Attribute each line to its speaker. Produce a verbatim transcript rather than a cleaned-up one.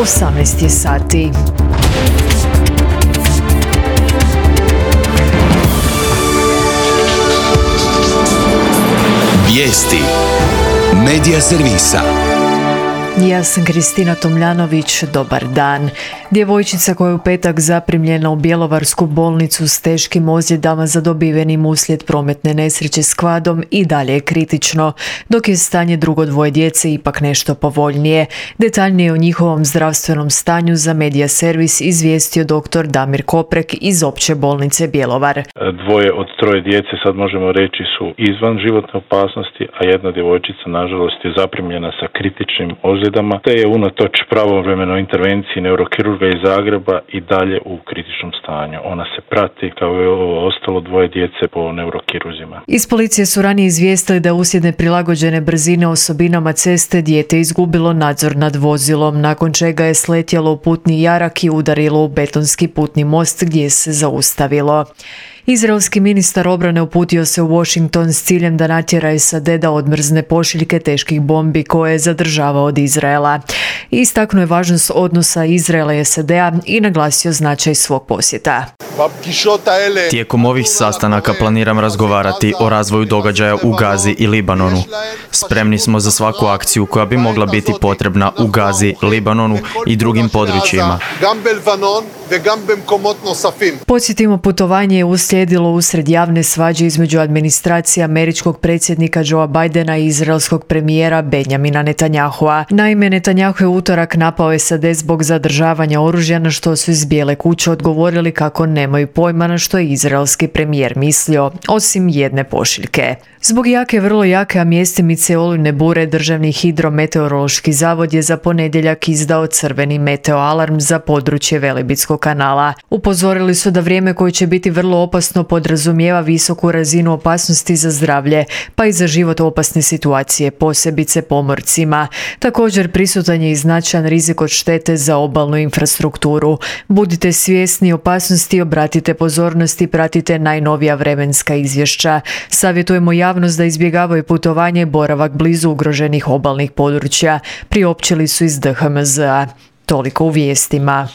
Speaker 1: osamnaest je sati.
Speaker 2: Vijesti Medija servisa.
Speaker 1: Ja sam Kristina Tomljanović, dobar dan. Djevojčica koja je u petak zaprimljena u bjelovarsku bolnicu s teškim ozljedama zadobivenim uslijed prometne nesreće s kvadom i dalje je kritično, dok je stanje drugo dvoje djece ipak nešto povoljnije. Detaljnije o njihovom zdravstvenom stanju za Medija servis izvijestio doktor Damir Koprek iz Opće bolnice Bjelovar.
Speaker 3: Dvoje od troje djece, sad možemo reći, su izvan životne opasnosti, a jedna djevojčica nažalost je zaprimljena sa kritičnim ozljedama, te je unatoč pravovremenoj intervenciji neurokirurga iz Zagreba i dalje u kritičnom stanju. Ona se prati kao i ovo ostalo dvoje djece po neurokiruzima.
Speaker 1: Iz policije su ranije izvijestili da uslijed neprilagođene brzine osobinama ceste dijete izgubilo nadzor nad vozilom, nakon čega je sletjelo u putni jarak i udarilo u betonski putni most gdje se zaustavilo. Izraelski ministar obrane uputio se u Washington s ciljem da natjera S A D da odmrzne pošiljke teških bombi koje je zadržavao od Izraela. Istaknuo je važnost odnosa Izraela i S A D-a i naglasio značaj svog posjeta.
Speaker 4: Tijekom ovih sastanaka planiram razgovarati o razvoju događaja u Gazi i Libanonu. Spremni smo za svaku akciju koja bi mogla biti potrebna u Gazi, Libanonu i drugim područjima.
Speaker 1: Podsjetimo, putovanje je uslijedilo usred javne svađe između administracije američkog predsjednika Joea Bidena i izraelskog premijera Benjamina Netanyahua. Naime, Netanyahu je utorak napao S A D zbog zadržavanja oružja, na što su iz Bijele kuće odgovorili kako nemaju pojma na što je izraelski premijer mislio, osim jedne pošiljke. Zbog jake, vrlo jake, a mjestimice olujne bure, Državni hidrometeorološki zavod je za ponedjeljak izdao crveni meteoalarm za područje Velebitskog kanala. Upozorili su da vrijeme koje će biti vrlo opasno podrazumijeva visoku razinu opasnosti za zdravlje, pa i za život opasne situacije, posebice pomorcima. Također prisutan je i značajan rizik od štete za obalnu infrastrukturu. Budite svjesni opasnosti, obratite pozornost i pratite najnovija vremenska izvješća. Savjetujemo javnost da izbjegavaju putovanje i boravak blizu ugroženih obalnih područja, priopćili su iz D H M Z-a. Toliko u vijestima.